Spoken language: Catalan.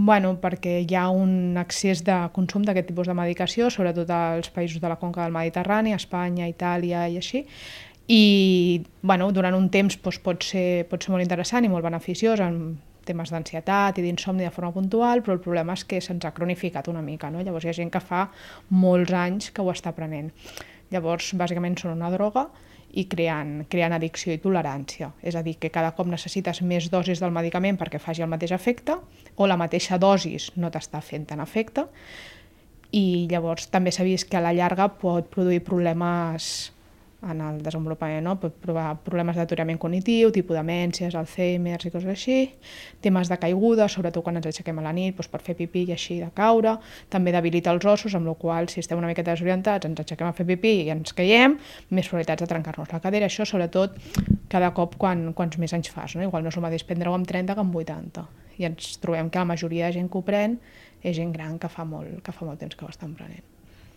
Bueno, perquè hi ha un excés de consum d'aquest tipus de medicació, sobretot als països de la conca del Mediterrani, Espanya, Itàlia i així, i bueno, durant un temps pot ser molt interessant i molt beneficiós en temes d'ansietat i d'insomni de forma puntual, però el problema és que se'ns ha cronificat una mica, no? Llavors hi ha gent que fa molts anys que ho està prenent. Llavors, bàsicament són una droga i creen addicció i tolerància. És a dir, que cada cop necessites més dosis del medicament perquè faci el mateix efecte, o la mateixa dosis no t'està fent tant efecte, i llavors també s'ha vist que a la llarga pot produir problemes en el desenvolupament, no? Pot provar problemes d'aturament cognitiu, tipus demències, Alzheimer i coses així, temes de caiguda, sobretot quan ens aixequem a la nit per fer pipí i així de caure, també debilita els ossos, amb la qual si estem una miqueta desorientats, ens aixequem a fer pipí i ens caiem, més probabilitats de trencar-nos la cadera, això sobretot cada cop quants més anys fas, no? Igual no és el mateix prendre-ho amb 30 que amb 80, i ens trobem que la majoria de gent que ho pren és gent gran que fa molt temps que ho estan prenent.